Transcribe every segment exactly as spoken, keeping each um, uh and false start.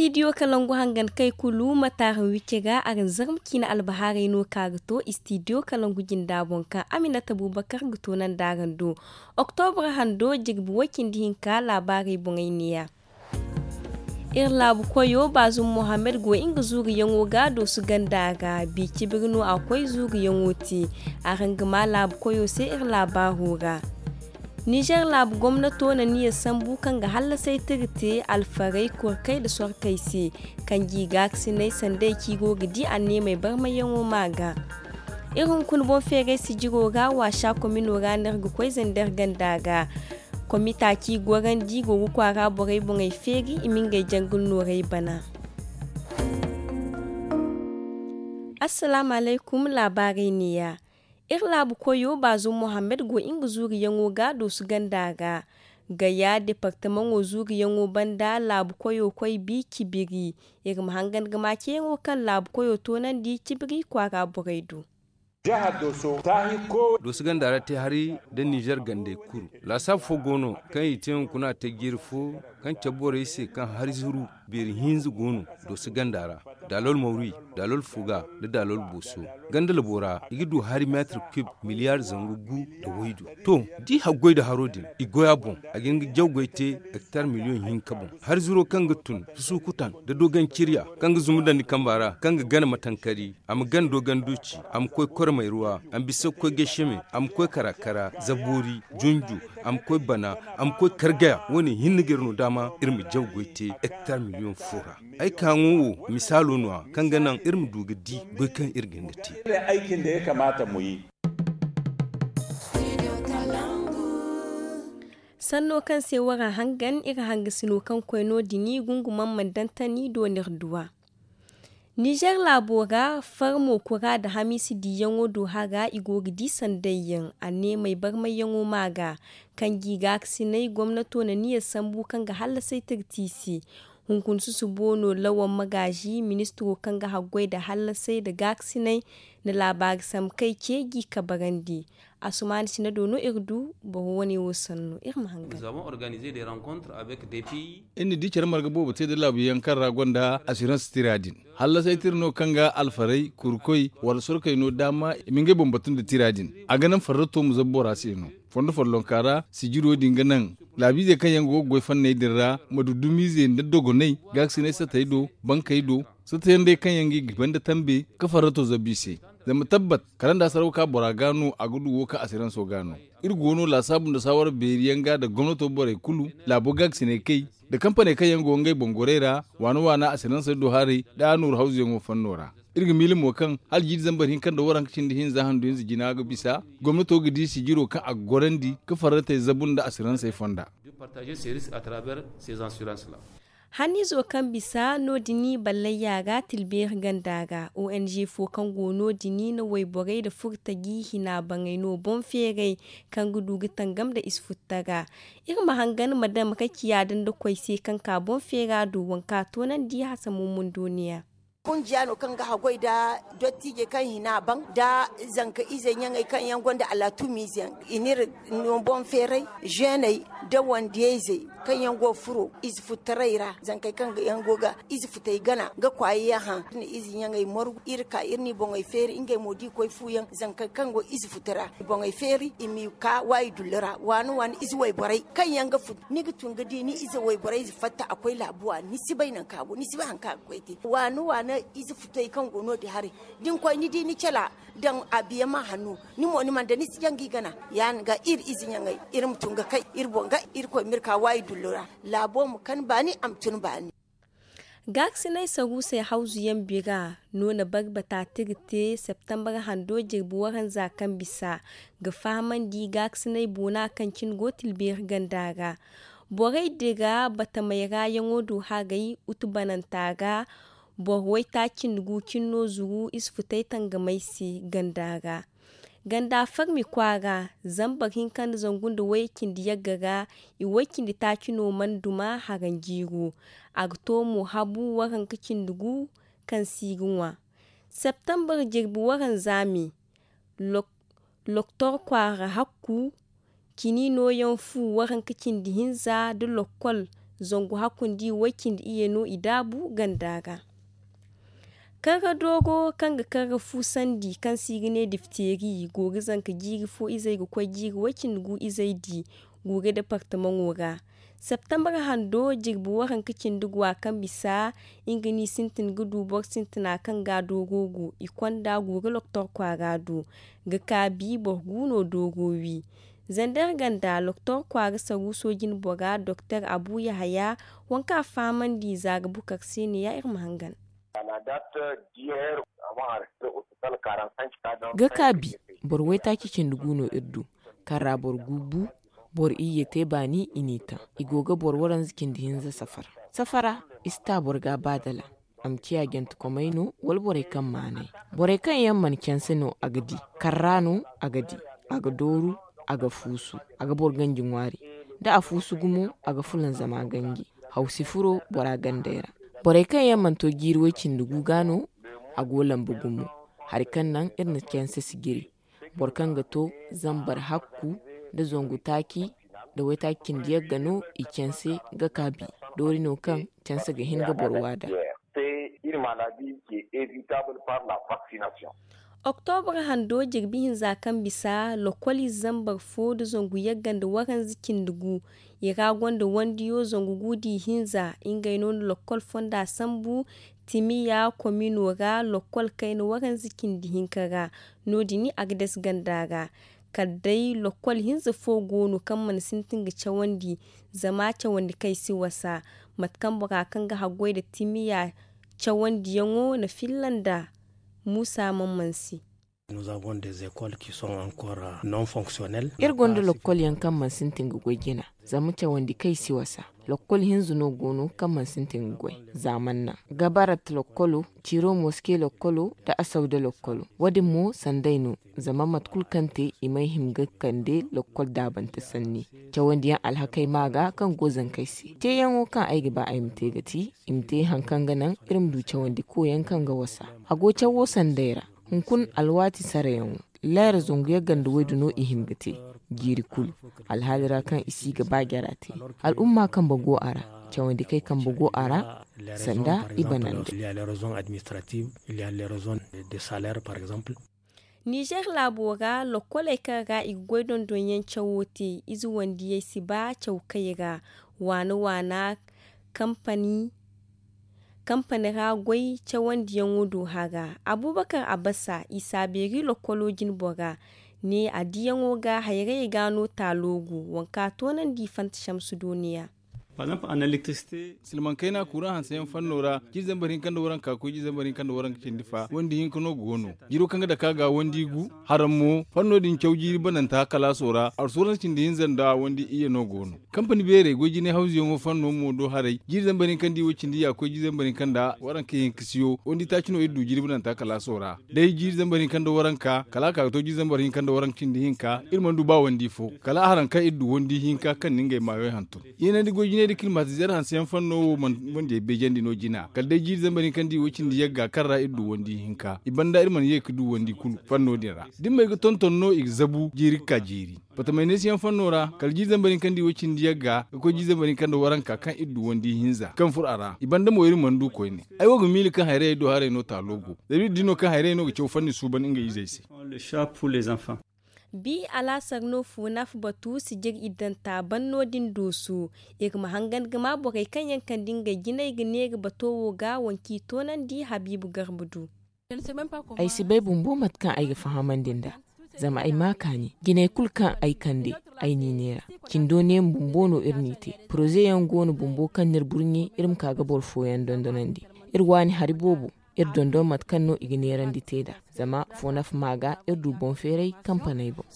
Istidiyo kalangu hangan kay kulu ma taara wicce ga araŋ zarma ciina albahaarey no ka ga to istidiyo kalangu jinda boŋ kaŋ aminata bubakar ga to nanda araŋ do. Oktobra hando jirbi way cindi hinka laabaarey boŋey neeya. Iri laabu koyo baazum mohammed go nga zuuriyaŋo ga doosu ganda ra bi cibiri no a koy zuuriyaŋo te. Araŋ ga maa laabu koyo se iri laabaaro ra. Nizer laabu gomnato na niya sambu kaŋ ga hallasay tira te alfarey korkey nda sorkey se, kaŋ g'i gaakasinay sanday kaŋ i go ga di anneemey barmayyaŋo maa ga. Iri hunkuna boŋ feeray sijiro ra waasa komino ra no iri ga koy zander ganda ra. Komita kaŋ i gorandi go ga kwaara borey boŋey feeri i ma ngey jangul noorey bana. Assalaamu alaykum laabaarey neeya. Iri laabu koyo baazum mohammed go nga zuuriyaŋo ga doosu ganda ra. Gaya departamaŋo zuuriyaŋo banda laabu koyo koy bi cibiri. Iri ma hangan ga maa ceeyaŋo kaŋ laabu koyo toonandi cibiri kwaara borey do. Doosu ganda ra te hari nda nizer gandey kuru laasaabu fo go no kaŋ i te hunkuna a te jiiri fo kaŋ cabe borey se kaŋ hari zuru beeri hinza go no. Doosu ganda ra daalol mawri daalol fuga nda daalol booso. Ganda labo ra i ga du hari meetir kub miliyaar zangu gu nda waydu. To, da i haggoy nda haro din i goy a boŋ. A ga hin ga jaw goy te hektar miliyoŋ hinka boŋ. Hari zuro kaŋ ga tun susukutan nda dogon cirya kaŋ ga zumbu daŋ ni kamba ra kaŋ ga gana matankari a ma gana dogon duuci a ma koy kormay ruwa a ma bisa ga koy gaysheme a ma koy kara-kara zaboori junju a ma koy bana a ma koy kargaya. Wo- ne hinne ga iri no daama iri ma jaw goy te hektar miliyoŋ fo ra. Ay ka ŋwa wo misaalo no- ya kaŋ ga naŋ iri ma du ga di goy kaŋ iri ga hin ga te. Sanno kaŋ se waraŋ hangan iri hangasino kaŋ koy no- din gungumaŋ mana daŋ tani doon'iri duwa. Nizer laabo ra farmo kura nda hamiisi diiyaŋo do hara i go ga di sandayyaŋ anneemey barmayyaŋo maa ga. Kaŋ g'i gaakasinay gomnato na niya sambu kaŋ ga hallasay tirti i se. Hunkuna susubo no lawan magaazi ministiro kaŋ ga haggoy nda hallasay nda gaakasinay na laabaari sambu kay ce g'i kabarandi. Asumaana sina do no iri du boro wane wo sannu iri ma hangan. Iri na di care marga boobo te nda laabuyaŋ kaŋ ra gonda asirans tira din. Hallasay tira no kaŋ ga alfarey kurkoy wala sorkey no daama i ma ngey boŋ batu nda tira din. A ga naŋ farrato ma zabu bora se no. Fondo follonka ra sijiro din ga naŋ laabiizey kaŋ yaŋ go ga goy fanney din ra ma du dumiizey nda dogoney gaakasinay satey do bankey do. Satayaŋ day kaŋ yaŋ ga i ga banda tambe ka farrato zabu i se. Zama tabbat kala nda a saraw ka bora ga no a ga du wo ka asiranso ga no. Iri go no laasaabu nda saawara beeri yaŋ ga nda gomnato borey kulu laabo gaakasinay kay nda kampaney kaŋ yaŋ go ngey boŋ gorey ra waana waana asiransey do haray nda a nooru hawzuyaŋo fanno ra. Iri ga miila mo kaŋ hala jiiri zambar hinka nda waranka cindi hinza handu hinza jina ga bisa gomnato ga di sijiro kaŋ a ga gorandi ka farratey zabu nda asiransey fonda. Hanniizo kaŋ bisa no- din ballayya ra tilbeeri ganda ra ong fo kaŋ go no- din na wayborey nda furtaji hina baŋey no boŋ feeray kaŋ ga du ga tangam nda ize futtara. Iri ma hangan ma dam rakiya danda koy se kaŋ ka boŋ feera do waŋ ka toonandi hasamo mundoniya. Kunjiya no kaŋ ga haggoy nda dottiijey kaŋ hina baŋ nda zanka izey ɲaŋey kaŋ yaŋ gonda alatumiize yaŋ i n'iri no boŋ feeray zeeney nda wandiyayzey kaŋ yaŋ go ga furo ize futtaray ra zankey kaŋ yaŋ go ga ize futey gana ga kwaayayaŋ hã iri na ize ɲaŋey margu iri ka iri n'i boŋey feeri ngey mo d'i koy fuuyaŋ zankey kaŋ go ize futa ra i boŋey feeri i m'i ka waayi dullu ra waani waani ize wayborey kaŋ yaŋ ga futu ni ga tun ga di ni ize wayborey ize fatta a koy laabu waani ni si bay nanka a go ni si bay hari kaŋ a ga koy te waani waani ize futey kaŋ go no- din haray da ni koy ni di ni cala daŋ a biya ma hanno ni mo ni mana daŋ ni si jaŋ ga i gana ya- din ga iri ize ɲaŋey iri ma tun ga kay iri boŋ ga irkoy ma iri ka waayi dullu ra laabo ma kan baani a ma tun baani. Gaakasinay saruusey hawzuyaŋ bira no na barbata tira te septembar hando jirbi waranza kaŋ bisa ga fahamandi gaakasinay boona kaŋ cine go tilbeeri ganda ra. Borey dira batamey ra yaŋo do haray utubananta ra boro waytaaci nda gu cine no zuru ize futay tangamey se ganda ra. Ganda farmi kwaara zambar hinka nda zangu nda wayye cindi yagga ra i way cindi taaci no mana duma haranjiiro. A ga to mo habu waranka cindi gu kaŋ si ga ŋwa septembar jirbi waranza me. Loktor kwaara hakku cini nooyaŋ fu waranka cindi hinza nda lokkol Zangu hakkundi way-cindi iyye no i daabu ganda ra. Karra dooro kaŋ ga karra fuusandi kaŋ se i ga ne difteeri go ga zanka jiiri fo izey ga koy jiiri way-cindi gu izey di guure departamaŋo ra. Septembre hando jirbi waranka cindi gu a kaŋ bisa nga no i sintin ga du boro sintina kaŋ ga a dooro gu i konda guure loktor kwaara do ga kaabi boro gu no dooro wi. Zander ganda loktor kwaara saruuso jinbora doktor abu yahaya, waŋ kaŋ a fahamandi zaara bukar se ne ya iri ma hangan. Ga kaabi boro waytaaci cindi gu no iri du. Kaŋ ra boro gu bu boro iyye te baani i n'i taŋ. I go ga boro waranza cindi hinza safara. Safara i si ta boro ga baadala. A ma ciya jantekomey no wala borey kaŋ maanay. Borey kaŋ yaŋ mana canse no a ga di. Karra no a ga di. A ga dooru a ga fuusu. A ga boro ganji ŋwaari. Da a fuusu gumo a ga fulanzama ganji. Hawsi furo bora gandey ra. Borey kaŋ yaŋ mana to jiiri way-cindi gu ga no a go lamba gumo. Hari kaŋ naŋ iri na canse si jiri. Boro kaŋ ga to zambar hakku nda zangu taaci nda waytaaci cindi yagga no i canse ga kaabi. Doori no kaŋ canse ga hin ga boro waada. Oktobra hando jirbi hinza kaŋ bisa lokol ize zambar fo nda zangu yagga nda waranza cindi gu. I ra gonda wandiyo zangu gu da ihinza ngey no na lokol fonda sambu. Timiya komino ra lokol kayna waranza cindi hinka ra. No- din a ga dase ganda ra. Kala day lokol hinza fo go no kaŋ mana sintin ga cawandi. Zama cawandi kaŋ i si wasa mate kaŋ bora kaŋ ga haggoy nda timiya cawandiyaŋo na filla nda muusa man mansi. Iri gonda lokol yaŋ kaŋ mana sintin ga goy jina. Zama cawandi kaŋ i si wasa lokol hinza no go no kaŋ mana sintin ga goy. Za mana naŋ gabarat lokolo, ciro moske lokolo nda asawda lokolo. Wo- din mo sanday no. Zama mate kulu kaŋ te i may hima ga kande lokol daabante sanni. Cawandiyaŋ alhakey ma ga kaŋ go zankey se teeyaŋo kaŋ ay ga ba ay ma te ga ti i ma te hari kaŋ ga naŋ iri ma du cawandi koyaŋ kaŋ ga wasa. A go cawo sanday ra. Hunkuna alwaati sarayaŋo. Leera zangu yagga nda waydu no i hin ga te. Jiiri kulu alhaali ra kaŋ i si ga ba jara te. Al'umma kambe go a ra. Cawandi kay kambe go a ra. Sanda i bananda. Nizer laabo ra lokoley kaŋ ga i ga goy dondonyaŋ cawo te ize wandiyey si ba caw kay ra. Waana waana kampani ra goy cawandiyaŋo do hara. Abubakar abasa isa beeri lokolo jinbora ne a diyaŋo ga hayrayey ga no taalo gu. Waŋ kaŋ a toonandi fanta shamsu dooniya. Silmaŋ kayna kuraŋ hanseyaŋ fanno ra jiiri zambar hinka nda waranka ga koy jiiri zambar hinka nda waranka cindi fa wandi hinka no go no. Jiiro kaŋ ga dake a ga wandi gu. Haraŋ mo fanno din caw jiiri bananta kalaaso ra arsuwaransa cindi hinza nda wandi iyye no go no. Kampani beerey goy jinay hawzuyaŋo fanno mo do haray jiiri zambar hinka nda i way cindi ya ga koy jiiri zambar hinka nda waranka hinka siyo wandi taaci no iri du jiiri bananta kalaaso ra. Day jiiri zambar hinka nda waranka kala a ka ga to jiiri zambar hinka nda waranka cindi hinka iri mana du ba wandi fo. Kala a haraŋ kaŋ iri du wandi hinka kaŋ na ngey maayoy hantum. Yeenandi goy jinay da kilmatizeer hanseyaŋ fanno wo mana wandiyey beejandi no jina kala day jiiri zambar hinka nda i way cindi yagga kaŋ ra iri du wandi hinka i banda iri mana ye ga du wandi kulu fanno din ra. Da iri ma ay ga tonton no i ga zabu jiiri ga ka jiiri. Batamayneesiyaŋ fanno ra kala jiiri zambar hinka nda i way cindi yagga ga koy jiiri zambar hinka nda waranka kaŋ iri du wandi hinza kaŋ furo a ra i banda mo iri mana du koyne. Ay wo ga miila kaŋ hayrayey do haray no taalo go. Zama iri di no kaŋ hayrayey no ga caw fanni suuban ngey izey se. Bi alaasar no foonaaf batu sijir iddanta ban no- din dooso. Iri ma hangan ga ma borey kaŋ yaŋ kande ngey jinay ga neera bato wo ga waŋ kaŋ i toonandi habiibu garba du. Ay si bay bumbo mate kaŋ ay ga fahamandi nd'a. Zama ay ma kaani jinay kulu kaŋ ay kande ay n'i neera. Cindo neema bumbo no iri n'i te. Poroze yaŋ go no bumbo kaŋ n'iri burɲe iri ma ka ga boro fooyaŋ dondonandi. Iri waani hari boobo. Iri dondon mate kaŋ no i ga neerandi te nd'a. Zama foonaaf ma ga iri du boŋ feeray kampaney boŋ.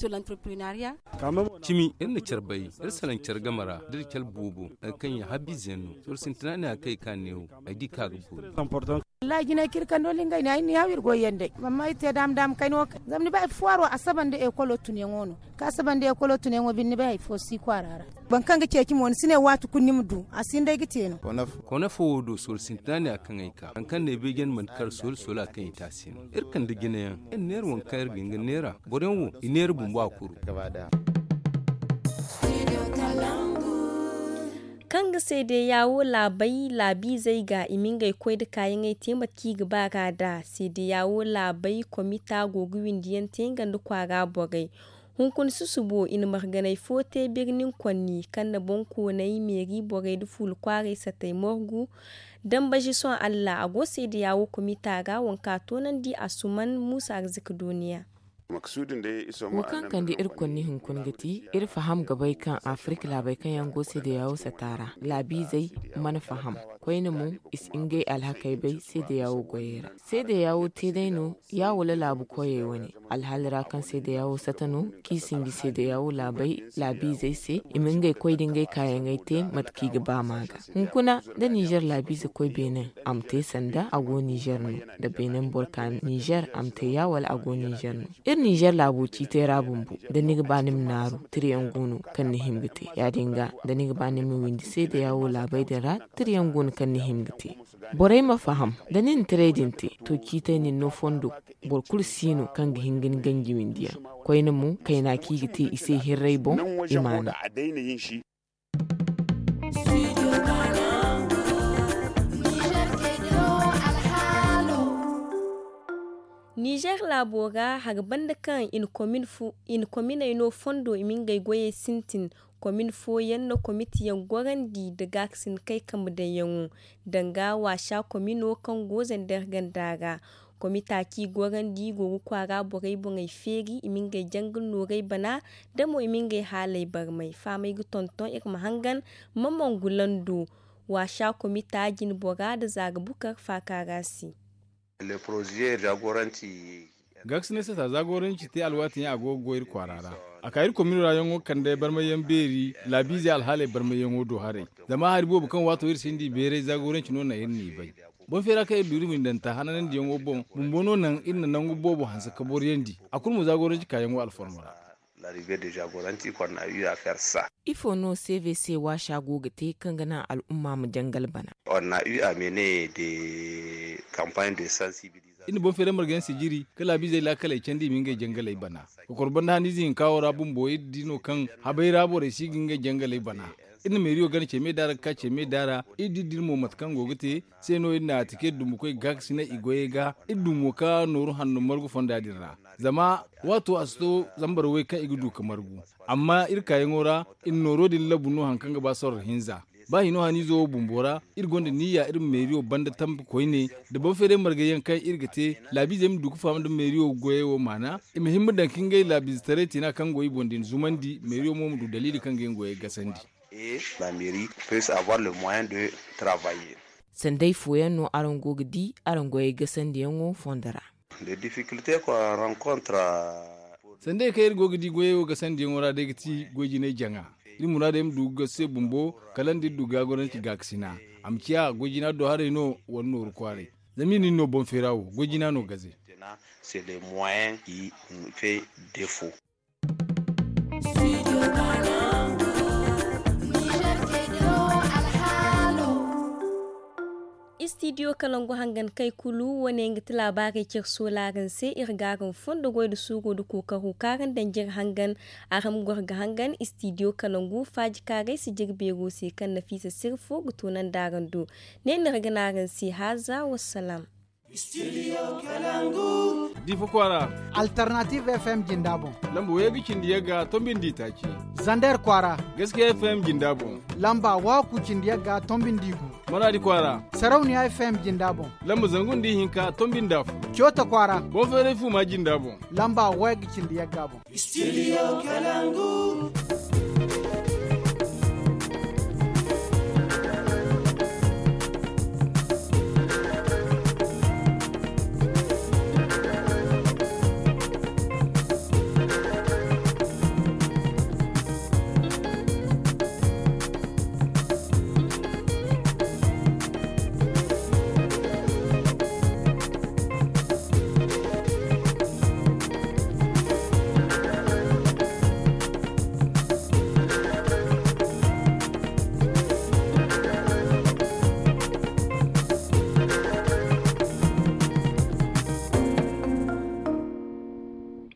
Cimi iri na care bay iri salaŋ care game ra da iri care boobo hari kaŋ yaŋ habbiize yaŋ no. Sohõ sintina ne a kay ka neewo ay di kaŋ a ga boori. Wallahi jinay kaŋ iri kando lingay ne ay ni haaw iri goy yaŋ day. Amma iri te daama daama kayna wo kay zama ni bay ay fo waaro asaba nda ekolo tunyaŋo no. Kaŋ asaba nda ekolo tunyaŋo binde ni bay hari fo si kwaara ra. Boro kaŋ ga ceeci mo ni si ne waati kulu ni ma du a si hin day ga te no. Kone fo wo do sohõ sintina ne a kaŋ ay ka hari kaŋ no ay bay janda manti kar sohõ sohõ a kaŋ i te a se no. Iri kande jinayaŋ iri neera waŋ kaŋ iri ga hin ga neera boroyaŋ wo i neera bumbo a kuru. Kaŋ ga seedeya wo laabey laabiizey ga i ma ngey koy nda kaayaŋey te mate kaŋ i ga ba ga nd'a seedeya wo laabey komita go ga windi yaŋ te nga nda kwaara borey. Hunkuna susubo i na marganey fo te birnin konni kaŋ na boŋkooney meeri borey nda fuula kwaaray satey morgu. Dambazi sohõ allah a go seedeya wo komita ra waŋ kaŋ a toonandi a suman muusa arzika duuniya. Wo kaŋ kande iri konni hunkuna ga ti iri faham ga bay kaŋ afirik laabey kaŋ yaŋ go seedeya wo sata ra laabiizey mana faham. Koyne mo i si ngey alhakey bay seedeya wo goyey ra. Seedeya wo te day no ya wala laabu koyey wane alhaali ra kaŋ seedeya wo sata no kaŋ i sinji seedeya wo laabey laabiizey se i ma ngey koy da ngey kaayaŋey te mate kaŋ i ga ba ma ga. Hunkuna da ninzeer laabiize koy beene a ma te sanda a go ninzeer no da beene boro ka ninzeer a ma te ya wala a go ninzeer no. Iri ninzeer laabo ciitay ra bumbo da ni ga ba ni ma naaru tirayaŋ go no kaŋ ni hima ga te ya- din ga da ni ga ba ni ma windi seedeya wo laabey din ra tirayaŋ go no kaŋ ni hima ga te. Borey ma faham da ni na tiray din te to ciitay nin no fondo. Boro kulu si no kaŋ ga hin ga ni ganji windiyaŋ koyne mo kayna kaŋ i ga te i se hirray boŋ. I ma no. Nizer laabo ra hari banda kaŋ i na kominey no fondo i ma ngey goyey sintin. Komin fooyaŋ no komitiyaŋ gorandi nda gaakasin kay kambe daŋyaŋo danga waasa komino kaŋ go zander ganda ra. Komita kaŋ i gorandi go ga kwaara borey boŋey feeri i ma ngey jangal noorey bana da mo i ma ngey haaley barmay fahamey ga tonton iri ma hangan. Mamangu lando waasa komita jinbora nda zaara bukar faaka ra se. Gaakasinay sata zaagoranci te alwaati yaŋ a go ga goy iri kwaara ra. A ka iri komino ra yaŋo kande barmayyaŋ beeri laabiizey alhaaley barmayyaŋo do haray. Zama hari boobo kaŋ waato iri sinda i beeray zaagoranci no naŋ iri n'i bay. Boŋ feera kaŋ iri du iri windanta hananandiyaŋo boŋ bumbo no naŋ iri na nangu boobo hanse ka boryandi. A kulu mo zaagoranci kaayaŋo alformo ra. Ifo no cvc waasa go ga te kaŋ ga naŋ al'umma ma jangal bana? Iri na boŋ feeray marga yaŋ sijiri ka laabiizey laakaley candi i ma ngey jangaley bana. Kokoro banda haniize hinka wo ra bumbo iri di no kaŋ habay ra borey si ga ngey jangaley bana. Iri na meeriyo gana ce me daara ga ka ce me daara iri di iri mo mate kaŋ go ga te. Se no iri na a tike dumbukoy gaakasinay i goyey ga iri du mo ka nooru hanno margu fonda din ra. Zama waato a si to zambar way kaŋ i ga du ka margu. Amma iri kaayaŋo ra iri nooro din labu no hari kaŋ ga ba sorro hinza. Ba hino haniizo wo bumbo ra iri gonda niyya iri ma meeriyo banda tambi koyne da boŋ feeray margayyaŋ kaŋ iri ga te laabiizey ma du ga faham nda meeriyo goyey wo maana. I ma himma daŋ ka ngey laabiizetaray tina kaŋ go i boŋ din zumandi meeriyo mo ma du daliili kaŋ ga ngey goyey gasandi. Sanday fooyaŋ no araŋ go ga di araŋ goyey gasandiyaŋo fondo ra. Sanday kaŋ iri go ga di goyey wo gasandiyaŋo ra day ga ti goy jinay jaŋa. Iri muraadey ma du ga gasu se bumbo kala nda iri du gaagoranci gaakasina. A ma ciya goy jina do haray no wala nooru kwaaray. Zama iri na iri no boŋ feera wo goy jina no gaze. Istidiyo kalangu hangan kay kulu wane nga ti laabaarey care soolaaraŋ se iri ga araŋ fondo goy nda suuro nda kookaro kaŋ araŋ daŋ jire hangan. Araŋ ma goro ga hangan istidiyo kalangu faaji kaaray si jire beero se kaŋ nafiisa sirfo ga toonandi araŋ do. Ne no iri ga ne araŋ se haaza wassalaam. Difa kwaara. Alternative fm jinda boŋ. Lamba wayga cindi yagga tombindi taaci. Zander kwaara. Gaskiya fm jinda boŋ. Lamba waku cindi yagga tombindi gu. Maradi kwaara. Sarauniya fm jinda boŋ. Lamba zangu nda ihinka tombindi afo. Coota kwaara. Boŋ feeray fuma jinda boŋ. Lamba wayga cindi yagga boŋ. Studio kalangu.